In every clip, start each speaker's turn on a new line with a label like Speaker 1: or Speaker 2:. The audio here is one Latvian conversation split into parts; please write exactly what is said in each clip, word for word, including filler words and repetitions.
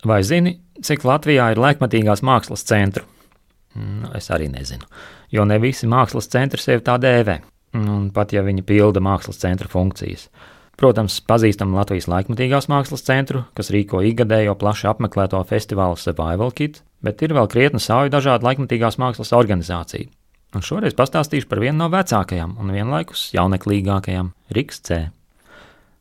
Speaker 1: Vai zini, cik Latvijā ir laikmatīgās mākslas centru? Nu, es arī nezinu, jo ne visi mākslas centri sevi tā dēvē, un pat ja viņi pilda mākslas centra funkcijas. Protams, pazīstam Latvijas laikmatīgās mākslas centru, kas rīko ikgadējo plaši apmeklēto festivālu Survival Kit, bet ir vēl krietni sauja dažādu laikmatīgās mākslas organizāciju. Un šoreiz pastāstīšu par vienu no vecākajām un vienlaikus jauneklīgākajām – Riks C.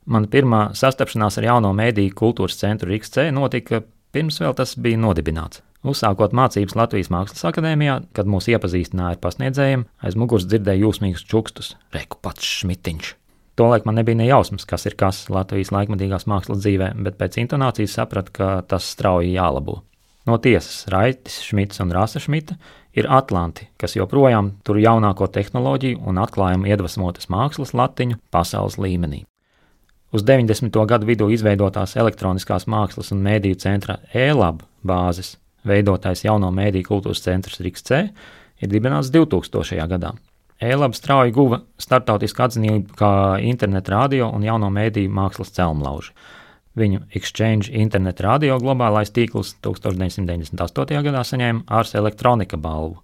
Speaker 1: Mana pirmā sastapšanās ar jauno mēdīju kultūras centru Riks C notika pirms vēl tas bija nodibināts. Uzsākot mācības Latvijas Mākslas akadēmijā, kad mūs iepazīstināja ar pasniedzējiem, aiz muguras dzirdēju jūsmīgus čukstus – reku pats Šmitiņš. Tolaik man nebija ne jausmas, kas ir kas Latvijas laikmatīgās mākslas dzīvē, bet pēc intonācijas sapratu, ka tas strauji jālabo. No tiesas Raitis Šmits un Rasa Šmita ir atlanti, kas joprojām tur jaunāko tehnoloģiju un atklājumu iedvesmotas mākslas latiņu pasaules līmenī. Uz deviņdesmito gadu vidū izveidotās elektroniskās mākslas un mēdīju centra E-Lab bāzes veidotais jauno mēdīju kultūras centrs Riks C ir dibināts divtūkstošajā gadā. E-Lab strauji guva starptautisku atzinību kā interneta radio un jauno mēdīju mākslas celmlauži. Viņu Exchange internet radio globālais tīkls tūkstoš deviņsimt deviņdesmit astotajā gadā saņēma Ars Electronica balvu.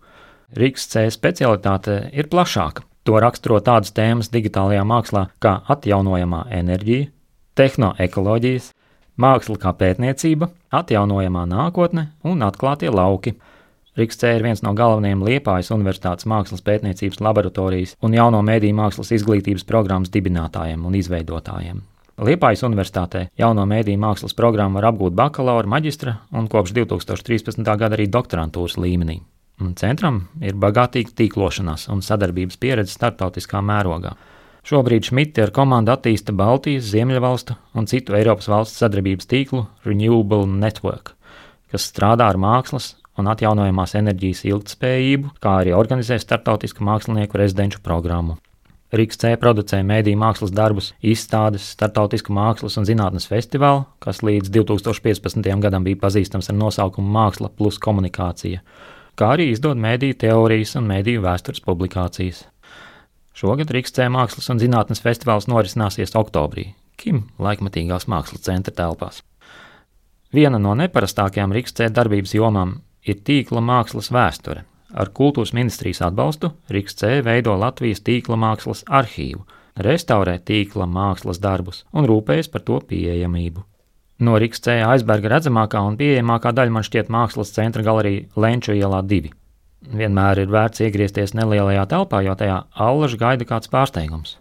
Speaker 1: Riks C specialitāte ir plašāka. To raksturo tādas tēmas digitālajā mākslā kā atjaunojamā enerģija, tehnoekoloģijas, māksla kā pētniecība, atjaunojamā nākotne un atklātie lauki. Riks C ir viens no galvenajiem Liepājas Universitātes mākslas pētniecības laboratorijas un jauno mēdīju mākslas izglītības programmas dibinātājiem un izveidotājiem. Liepājas Universitātē jauno mēdīju mākslas programmu var apgūt bakalaura, maģistra un kopš divtūkstoš trīspadsmitā gada arī doktorantūras līmenī. Un centram ir bagātīga tīklošanās un sadarbības pieredze starptautiskā mērogā. Šobrīd Šmiti ar komandu attīsta Baltijas, Ziemeļvalstu un citu Eiropas valstu sadarbības tīklu Renewable Network, kas strādā ar mākslas un atjaunojamās enerģijas ilgtspējību, kā arī organizē starptautisku mākslinieku rezidenču programmu. Riks C producē mēdīju mākslas darbus, izstādes, starptautisku mākslas un zinātnes festivālu, kas līdz divtūkstoš piecpadsmitajam gadam bija pazīstams ar nosaukumu Māksla plus komunikācija, kā arī izdod mēdīju teorijas un mēdīju vēstures publikācijas. Šogad Riks C mākslas un zinātnes festivāls norisināsies oktobrī, Kim laikmatīgās mākslas centra telpās. Viena no neparastākajām Riks C darbības jomām ir tīkla mākslas vēsture. Ar kultūras ministrijas atbalstu Riks C veido Latvijas tīkla mākslas arhīvu, restaurē tīkla mākslas darbus un rūpējas par to pieejamību. No Riks C aizberga redzamākā un pieejamākā daļa man šķiet mākslas centra galerija Lenču ielā divi. Vienmēr ir vērts iegriezties nelielajā telpā, jo tajā allaž gaida kāds pārsteigums.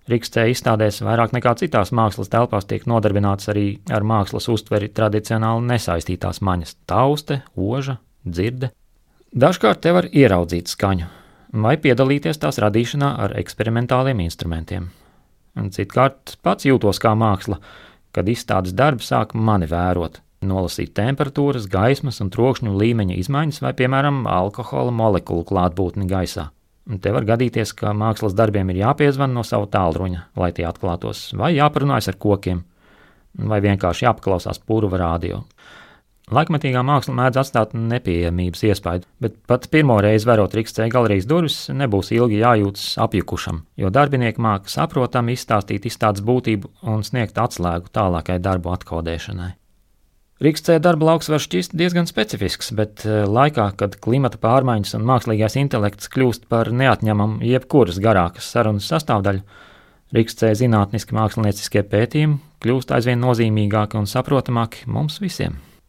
Speaker 1: Riks C izstādēs vairāk nekā citās mākslas telpās tiek nodarbināts arī ar mākslas uztveri tradicionāli nesaistītās maņas – tauste, oža, dzirde. Dažkārt te var ieraudzīt skaņu vai piedalīties tās radīšanā ar eksperimentāliem instrumentiem. Un citkārt pats jūtos kā māksla, kad izstādes darbi sāk mani vērot, nolasīt temperatūras, gaismas un trokšņu līmeņa izmaiņas vai, piemēram, alkohola molekulu klātbūtni gaisā. Un te var gadīties, ka mākslas darbiem ir jāpiezvan no sava tālruņa, lai tie atklātos, vai jāparunājas ar kokiem, vai vienkārši jāpaklausās purva radio. Laikmatīgā māksla mēdz atstāt nepieejamības iespaidu, bet pat pirmo reizi verot Riks C galerijas durvis nebūs ilgi jājūtas apjukušam, jo darbinieki māka saprotami izstāstīt izstādes būtību un sniegt atslēgu tālākai darbu atkodēšanai. Riks C darba lauks var šķist diezgan specifisks, bet laikā, kad klimata pārmaiņas un mākslīgais intelekts kļūst par neatņemamu jebkuras garākas sarunas sastāvdaļu, Riks C zinātniski mākslinieciskie pētījumi kļūst aizvien nozīmīgāki un saprotamāki mums visiem.